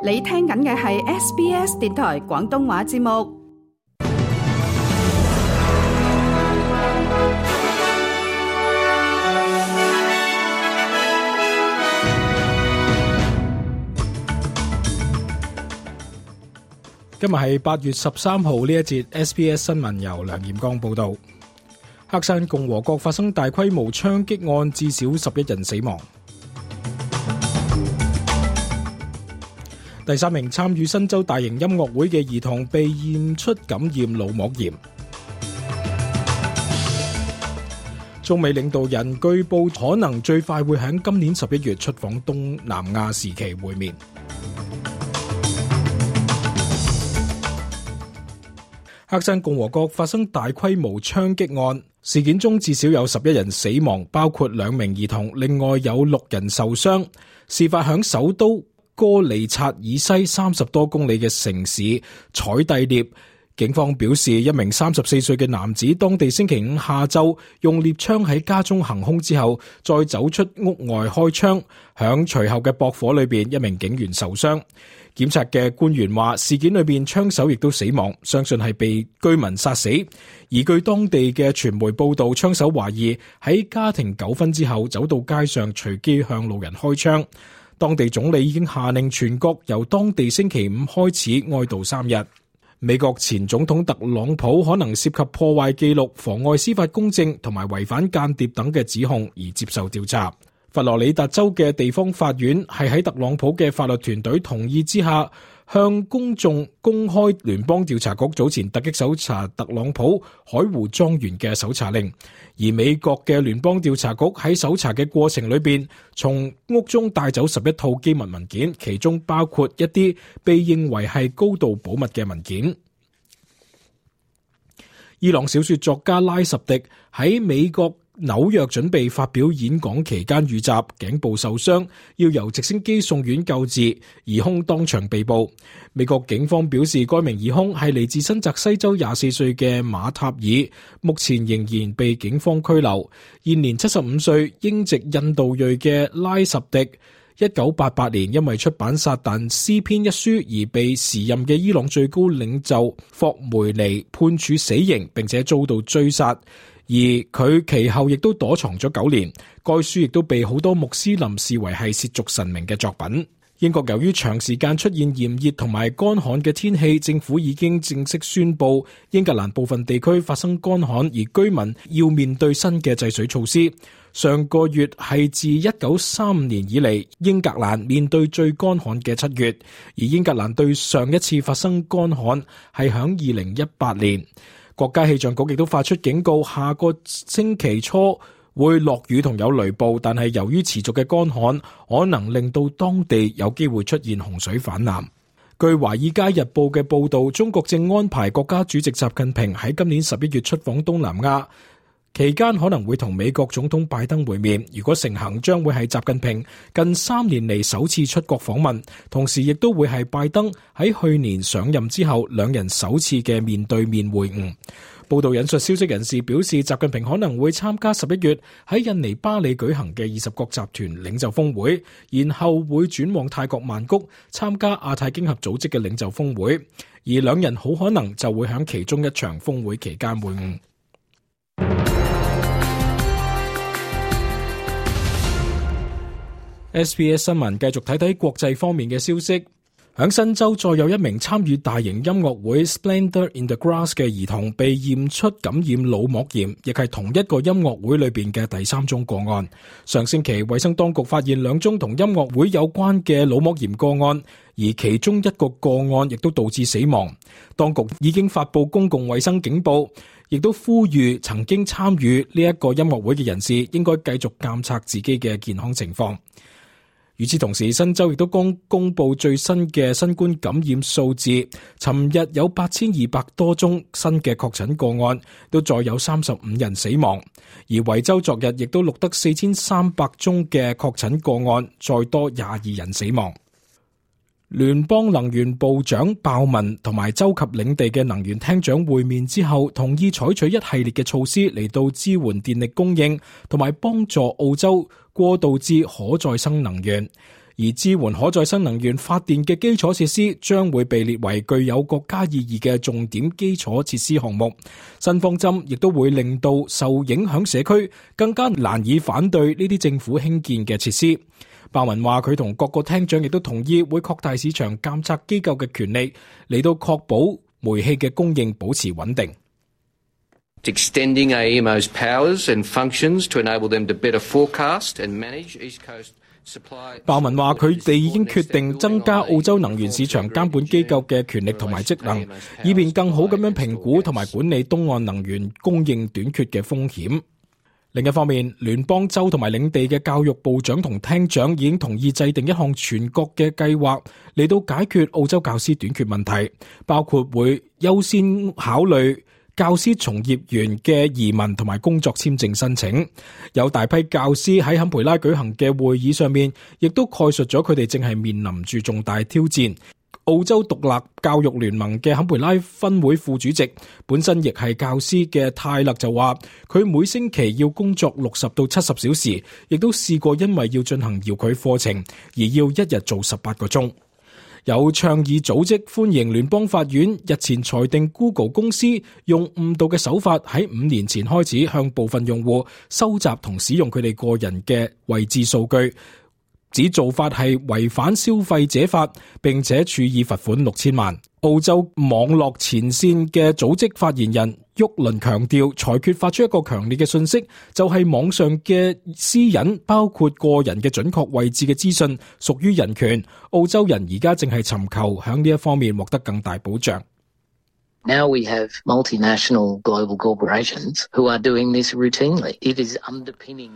你聽緊嘅係 SBS 電台廣東話節目。今日係8月13號，呢一節 SBS 新聞由梁彥剛報道。黑山共和國發生大規模槍擊案，至少11人死亡。第3名參與新州大型音樂會嘅兒童被驗出感染腦膜炎。中美領導人據報可能最快會喺今年11月出訪東南亞時期會面。黑山共和國發生大規模槍擊案，事件中至少有11人死亡，包括2名兒童，另外有6人受傷。事發響首都哥里察以西30多公里嘅城市采蒂涅。警方表示，一名34歲嘅男子當地星期五下晝用獵槍喺家中行兇之後，再走出屋外開槍，響隨後嘅駁火裏邊，一名警員受傷。檢察嘅官員話，事件裏邊槍手亦都死亡，相信係被居民殺死。而據當地嘅傳媒報道，槍手懷疑喺家庭糾紛之後走到街上隨機向路人開槍。當地總理已經下令全國由當地星期5開始哀悼3日。美國前總統特朗普可能涉及破壞記錄、妨礙司法公正同埋違反間諜等嘅指控而接受調查。佛羅里達州嘅地方法院係喺特朗普嘅法律團隊同意之下，向公眾公開聯邦調查局早前突擊搜查特朗普海湖莊園嘅搜查令。而美國嘅聯邦調查局喺搜查嘅過程裏邊，從屋中帶走11套機密文件，其中包括一啲被認為係高度保密嘅文件。伊朗小說作家拉什迪喺美國紐約準備發表演講期間遇襲，頸部受傷，要由直升機送院救治，疑兇當場被捕。美國警方表示，該名疑兇係嚟自新澤西州24歲嘅馬塔爾，目前仍然被警方拘留。現年75歲英籍印度裔嘅拉什迪1988年因為出版《撒旦詩篇》一書而被時任嘅伊朗最高領袖霍梅尼判處死刑，並且遭到追殺。而佢其後亦都躲藏咗9年，該書亦都被好多穆斯林視為係褻瀆神明嘅作品。英國由於長時間出現炎熱同埋乾旱嘅天氣，政府已經正式宣布英格蘭部分地區發生乾旱，而居民要面對新嘅制水措施。上個月係自1935年以嚟英格蘭面對最乾旱嘅7月，而英格蘭對上一次發生乾旱係響2018年。國家氣象局亦都發出警告，下個星期初會落雨同有雷暴，但係由於持續嘅乾旱，可能令到當地有機會出現洪水泛濫。據《華爾街日報》嘅報道，中國正安排國家主席習近平喺今年11月出訪東南亞，期間可能會同美國總統拜登會面。如果成行，將會係習近平近3年嚟首次出國訪問，同時亦都會係拜登喺去年上任之後兩人首次嘅面對面會晤。報道引述消息人士表示，習近平可能會參加11月喺印尼巴里舉行嘅20國集團領袖峰會，然後會轉往泰國曼谷參加亞太經合組織嘅領袖峰會，而兩人好可能就會喺其中一場峰會期間會晤。SBS 新聞繼續睇睇國際方面嘅消息。響新州再有一名參與大型音樂會 Splendor in the Grass 嘅兒童被驗出感染腦膜炎，亦係同一個音樂會裏邊嘅第3宗個案。上星期衛生當局發現2宗同音樂會有關嘅腦膜炎個案，而其中一個個案亦都導致死亡。當局已經發布公共衛生警報，亦都呼籲曾經參與呢一個音樂會嘅人士應該繼續監察自己嘅健康情況。與此同時，新州亦都剛公布最新嘅新冠感染數字，尋日有8200多宗新嘅確診個案，都再有35人死亡。而維州昨日亦都錄得4300宗嘅確診個案，再多22人死亡。聯邦能源部長鮑文同埋州及領地嘅能源廳長會面之後，同意採取一系列嘅措施嚟到支援電力供應，同埋幫助澳洲過渡至可再生能源。而支援可再生能源發電嘅基礎設施將會被列為具有國家意義嘅重點基礎設施項目。新方針亦都會令到受影響社區更加難以反對呢啲政府興建嘅設施。鮑文話佢同各個廳長亦都同意會擴大市場監察機構嘅權力，嚟到確保煤氣嘅供應保持穩定。Extending AEMO's powers and functions to enable them to better forecast and manage East Coast supply. 鮑文話佢哋已經決定增加澳洲能源市場監管機構嘅權力同埋職能，以便更好咁樣評估同埋管理東岸能源供應短缺嘅風險。另一方面，聯邦州同埋領地嘅教育部長同廳長已經同意制定一項全國嘅計劃嚟到解決澳洲教師短缺問題，包括會優先考慮教師從業員嘅移民同埋工作簽證申請。有大批教師喺坎培拉舉行嘅會議上面，亦都概述咗佢哋正係面臨住重大挑戰。澳洲獨立教育聯盟嘅坎培拉分會副主席，本身亦係教師嘅泰勒就話，佢每星期要工作60到70小時，亦都試過因為要進行遙距課程而要一日做18個鐘。有倡議組織歡迎聯邦法院日前裁定 Google 公司用誤導嘅手法喺5年前開始向部分用戶收集同使用佢哋個人嘅位置數據，指做法係違反消費者法，並且處以罰款6000萬。澳洲網絡前線嘅組織發言人沃倫強調，裁決發出一個強烈嘅訊息，就係網上嘅私隱，包括個人嘅準確位置嘅資訊，屬於人權。澳洲人而家正係尋求響呢一方面獲得更大保障。Now we have multinational global corporations who are doing this routinely. It is underpinning.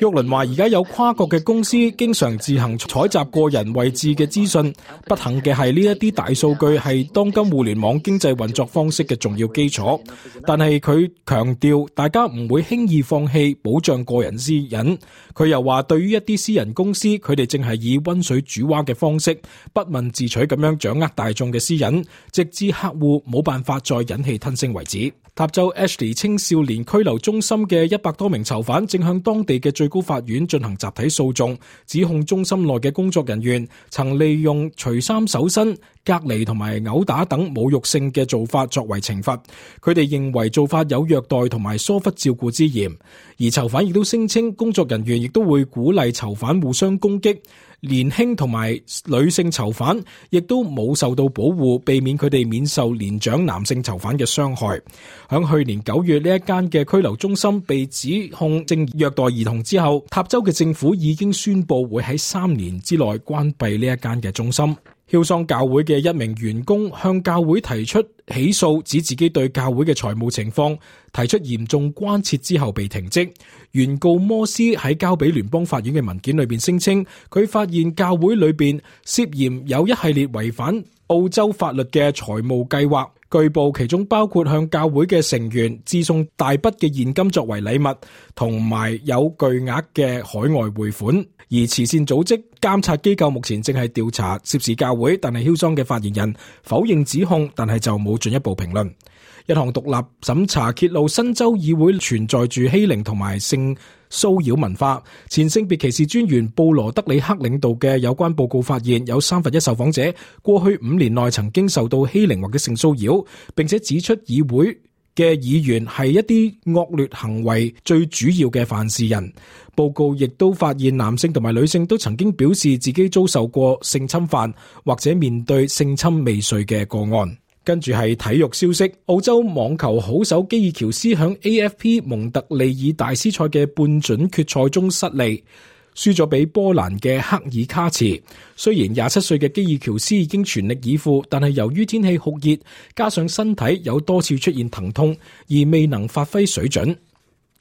沃倫話：而家有跨國嘅公司經常自行採集個人位置嘅資訊。不幸嘅係呢一啲大數據係當今互聯網經濟運作方式嘅重要基礎。但係佢強調，大家唔會輕易放棄保障個人私隱。佢又話，對於一啲私人公司，佢哋正係以溫水煮蛙嘅方式，不問自取咁樣掌握大眾嘅私隱，直至客戶冇辦法再忍氣吞聲為止。塔州 Ashley 青少年拘留中心嘅100多名囚犯正向當地嘅最高法院進行集體訴訟，指控中心內嘅工作人員曾利用除衫搜身、隔離同埋毆打等侮辱性嘅做法作為懲罰。佢哋認為做法有虐待同埋疏忽照顧之嫌，而囚犯亦都聲稱工作人員亦都會鼓勵囚犯互相攻擊。年輕同埋女性囚犯亦都冇受到保護，避免佢哋免受年長男性囚犯嘅傷害。響去年9月呢一間嘅拘留中心被指控正虐待兒童之後，塔州嘅政府已經宣布會喺3年之內關閉呢一間嘅中心。喬桑教會嘅一名員工向教會提出起訴，指自己對教會嘅財務情況提出嚴重關切之後被停職。原告摩斯喺交俾聯邦法院嘅文件裏邊聲稱，佢發現教會裏邊涉嫌有一系列違反澳洲法律嘅財務計劃，據報其中包括向教會嘅成員致送大筆嘅現金作為禮物，同埋有巨額嘅海外匯款。而慈善組織監察機構目前正係調查涉事教會，但係喬桑嘅發言人否認指控，但係就冇進一步評論。一項獨立審查揭露新州議會存在住欺凌同埋性騷擾文化。前性別歧視專員布羅德里克領導嘅有關報告發現，有1/3受訪者過去5年內曾經受到欺凌或者性騷擾，並且指出議會嘅議員係一啲惡劣行為最主要嘅犯事人。報告亦都發現男性同埋女性都曾經表示自己遭受過性侵犯或者面對性侵未遂嘅個案。跟住係體育消息，澳洲網球好手基爾喬斯響 AFP 蒙特利爾大師賽嘅半準決賽中失利，輸咗俾波蘭嘅克爾卡茨。雖然27歲嘅基爾喬斯已經全力以赴，但係由於天氣酷熱，加上身體有多次出現疼痛，而未能發揮水準。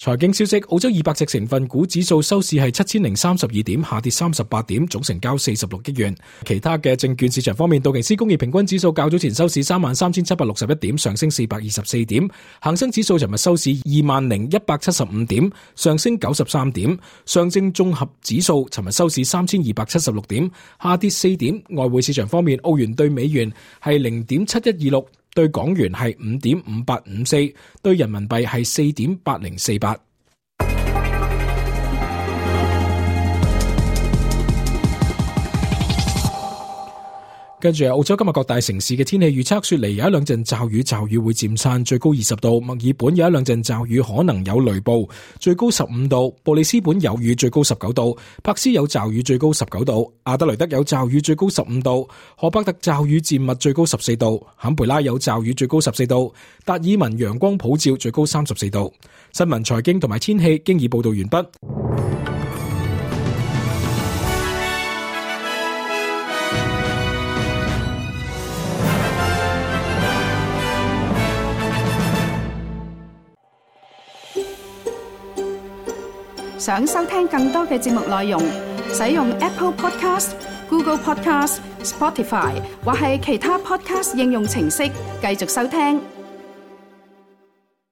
財經消息，澳洲200隻成分股指數收市係7032點，下跌38點，總成交46億元。其他嘅證券市場方面，道瓊斯工業平均指數較早前收市33761點，上升424點；恒生指數尋日收市20175點，上升93點；上證綜合指數尋日收市3276點，下跌4點。外匯市場方面，澳元對美元係0.7126。對港元係5.5854，對人民幣係4.8048。跟住澳洲今日各大城市嘅天氣預測，雪梨有一兩陣驟雨，驟雨會漸散，最高20度；墨爾本有一兩陣驟雨，可能有雷暴，最高15度；布里斯本有雨，最高19度；柏斯有驟雨，最高19度；阿德雷德有驟雨，最高15度；荷伯特驟雨漸密，最高14度；坎培拉有驟雨，最高14度；達爾文陽光普照，最高34度。新聞、財經同埋天氣經已報道完畢。想收聽更多嘅節目內容，使用 Apple Podcast、Google Podcast、Spotify 或係其他 Podcast 應用程式繼續收聽。